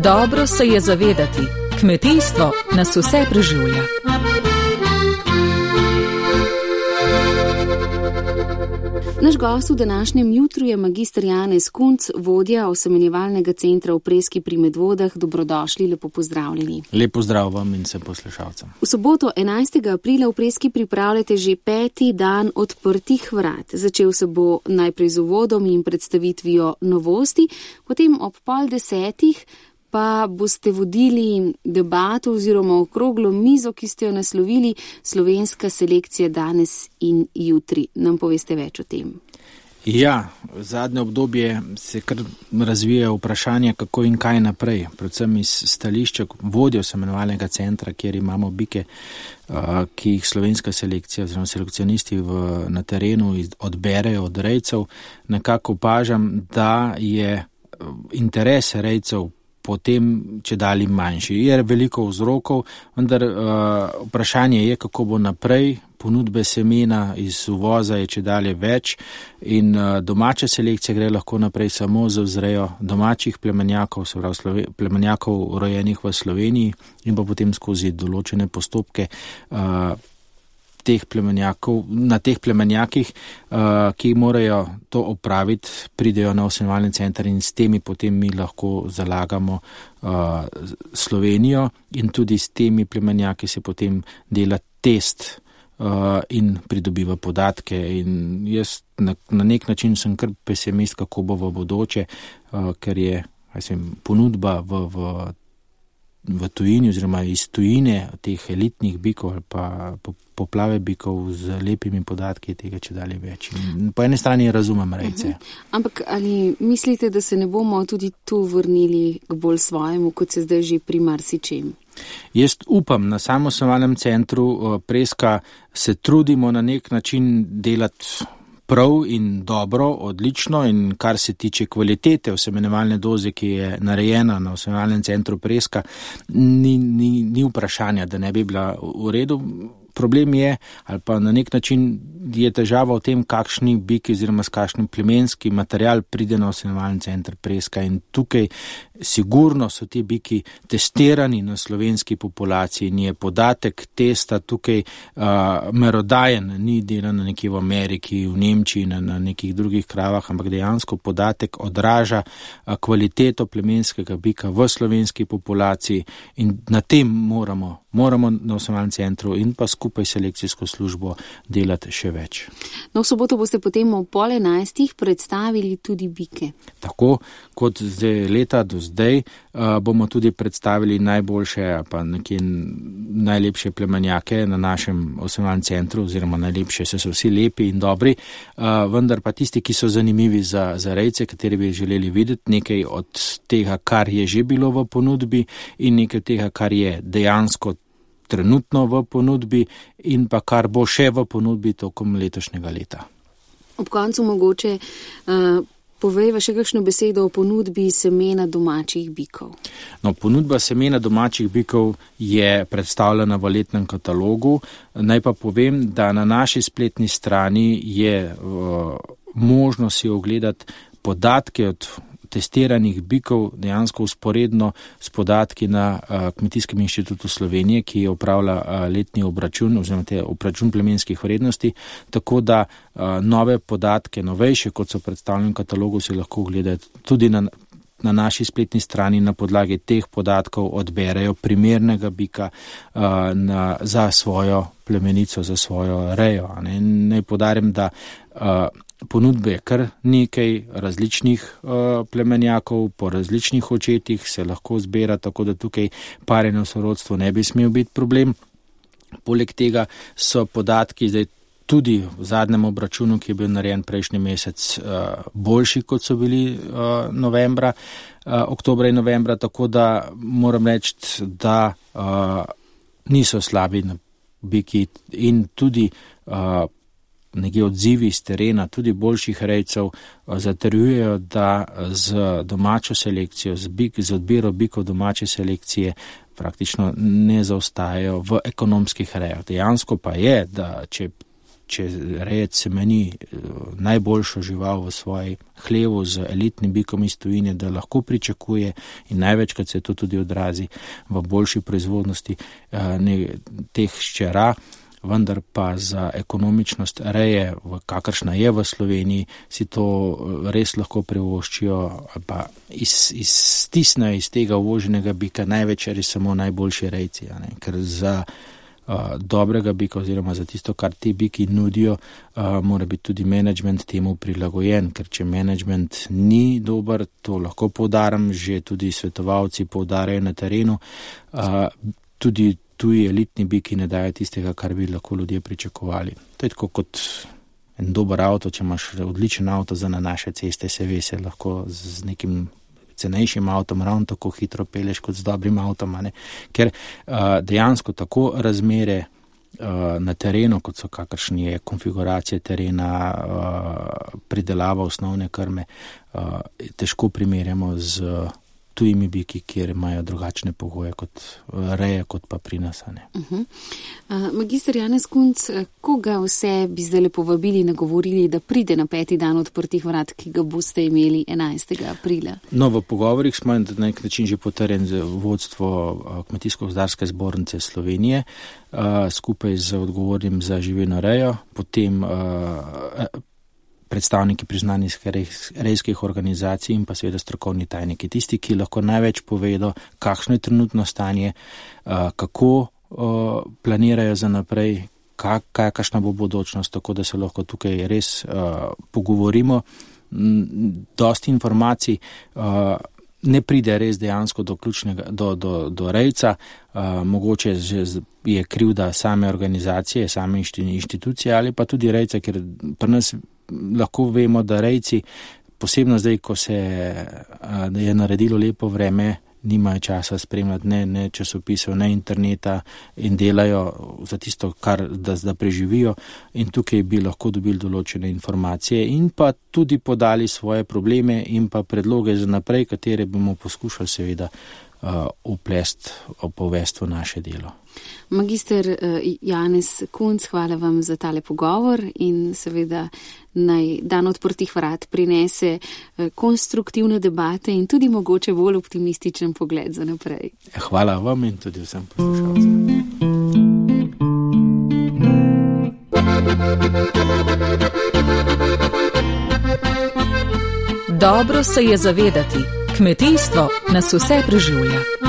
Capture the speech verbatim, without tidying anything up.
Dobro se je zavedati, kmetijstvo nas vse preživlja. Naš gost v današnjem jutru je magister Janez Kunc, vodja osemenjevalnega centra v Preski pri Medvodah. Dobrodošli, lepo pozdravljeni. Lep pozdrav vam in vsem poslušalcem. V soboto enajstega aprila v Preski pripravljate že peti dan odprtih vrat. Začel se bo najprej z uvodom in predstavitvijo novosti, potem ob pol desetih pa boste vodili debato oziroma okroglo mizo, ki ste jo naslovili Slovenska selekcija danes in jutri. Nam poveste več o tem? Ja, zadnje obdobje se kar razvija vprašanje, kako in kaj naprej. Predvsem iz stališča vodje osemenjevalnega centra, kjer imamo bike, ki jih slovenska selekcija oziroma selekcionisti v, na terenu odberejo od rejcev. Nekako opažam, da je interes rejcev potem če dali manjši. Je veliko vzrokov, vendar uh, vprašanje je, kako bo naprej. Ponudbe semena iz uvoza je če dalje več in uh, domača selekcija gre lahko naprej samo za vzrejo domačih plemenjakov, se pravi Slove, plemenjakov rojenih v Sloveniji in pa potem skozi določene postopke uh, teh plemenjakov, na teh plemenjakih, uh, ki morajo to opraviti, pridejo na osemenjevalni center in s temi potem mi lahko zalagamo uh, Slovenijo in tudi s temi plemenjaki se potem dela test uh, in pridobiva podatke. In jaz na, na nek način sem kar pesimist, kako bo v bodoče, uh, ker je mislim, ponudba v, v v tujini oziroma iz tujine teh elitnih bikov ali pa poplave bikov z lepimi podatki tega če dalje več. In po eni strani razumem rejce. Uh-huh. Ampak ali mislite, da se ne bomo tudi tu vrnili k bolj svojemu, kot se zdaj že pri marsičem? Jaz upam, na samem osemenjevalnem centru Preska se trudimo na nek način delati prav in dobro, odlično, in kar se tiče kvalitete osemenjevalne doze, ki je narejena na osemenjevalnem centru Preska, ni, ni, ni vprašanja, da ne bi bila v redu. Problem je, ali pa na nek način je težava v tem, kakšni biki oziroma s kakšnim plemenski material pride na osemenjevalni center Preska, in tukaj sigurno so ti biki testirani na slovenski populaciji in je podatek testa tukaj uh, merodajen, ni delan nekje v Ameriki, v Nemčiji, na, na nekih drugih kravah, ampak dejansko podatek odraža uh, kvaliteto plemenskega bika v slovenski populaciji in na tem moramo, moramo na osemenjevalnem centru in pa skupaj selekcijsko službo delati še več. No, v soboto boste potem ob pol enajstih predstavili tudi bike. Tako kot zdaj leta do zdaj uh, bomo tudi predstavili najboljše pa nekje najlepše plemenjake na našem osemenjevalnem centru oziroma najlepše, se so vsi lepi in dobri, uh, vendar pa tisti, ki so zanimivi za, za rejce, kateri bi želeli videti nekaj od tega, kar je že bilo v ponudbi in nekaj tega, kar je dejansko trenutno v ponudbi in pa kar bo še v ponudbi tokom letošnjega leta. Ob koncu mogoče uh, povejva še kakšno besedo o ponudbi semena domačih bikov. No, ponudba semena domačih bikov je predstavljena v letnem katalogu. Naj pa povem, da na naši spletni strani je uh, možno si ogledati podatke od testiranih bikov dejansko usporedno s podatki na uh, Kmetijskem inštitutu Slovenije, ki opravlja uh, letni obračun oziroma te obračun plemenskih vrednosti, tako da uh, nove podatke, novejše, kot so predstavljeni v katalogu, si lahko ogledati tudi na, na naši spletni strani. Na podlagi teh podatkov odberejo primernega bika uh, na, za svojo plemenico, za svojo rejo. Ne? Naj podarim, da uh, ponudbe je kar nekaj različnih uh, plemenjakov, po različnih očetih se lahko zbira, tako da tukaj parjenje v sorodstvu ne bi smel biti problem. Poleg tega so podatki zdaj tudi v zadnjem obračunu, ki je bil narejen prejšnji mesec, uh, boljši, kot so bili uh, novembra, uh, oktobra in novembra, tako da moram reči, da uh, niso slabi biki in tudi uh, nekje odzivi iz terena, tudi boljših rejcev, zatrjujejo, da z domačo selekcijo, z, bik, z odbiro bikov domače selekcije praktično ne zaostajajo v ekonomskih rejah. Dejansko pa je, da če če rejec semeni najboljšo žival v svoji hlevu z elitnim bikom iz tujine, da lahko pričakuje in največkrat se to tudi odrazi v boljši proizvodnosti ne, teh ščera, vendar pa za ekonomičnost reje, kakršna je v Sloveniji, si to res lahko privoščijo, pa iz, iztisnejo iz tega uvoženega bika največ ali samo najboljši rejci, ne? Ker za uh, dobrega bika oziroma za tisto, kar ti biki nudijo, uh, mora biti tudi menedžment temu prilagojen, ker če menedžment ni dober, to lahko poudaram, že tudi svetovalci poudarjajo na terenu, uh, tudi tuji elitni biki ne dajo tistega, kar bi lahko ljudje pričakovali. To je tako kot en dober avto, če imaš odličen avto za na naše ceste, se ve, se lahko z nekim cenejšim avtom ravno tako hitro peleš kot z dobrim avtom, ne? Ker uh, dejansko tako razmere uh, na terenu, kot so kakršni je konfiguracije terena, uh, pridelava osnovne krme, uh, težko primerjamo z tujimi biki, kjer imajo drugačne pogoje kot reje, kot pa pri nas. Uh-huh. Uh, magister Janez Kunc, koga vse bi zdaj povabili, nagovorili, da pride na peti dan odprtih vrat, ki ga boste imeli enajstega aprila? No, v pogovorih smo na nek način že potrjen z vodstvo Kmetijsko-gozdarske zbornice Slovenije, uh, skupaj z odgovornim za živino rejo, potem uh, predstavniki priznanih rejskih organizacij in pa seveda strokovni tajniki, tisti, ki lahko največ povedo, kakšno je trenutno stanje, kako planirajo za naprej, kakšna bo bodočnost, tako da se lahko tukaj res pogovorimo. Dosti informacij ne pride res dejansko do ključnega, do, do, do rejca, mogoče je krivda same organizacije, same inštitucije ali pa tudi rejca, ker pri nas lahko vemo, da rejci, posebno zdaj, ko se je naredilo lepo vreme, nimajo časa spremljati ne, ne časopisov, ne interneta in delajo za tisto, kar da, da preživijo, in tukaj bi lahko dobili določene informacije in pa tudi podali svoje probleme in pa predloge za naprej, katere bomo poskušali seveda uh, uplest, povest v naše delo. Magister Janez Kunc, hvala vam za tale pogovor in seveda naj dan odprtih vrat prinese konstruktivne debate in tudi mogoče bolj optimističen pogled za naprej. Hvala vam in tudi vsem poslušalcem. Dobro se je zavedati, kmetijstvo nas vse preživlja.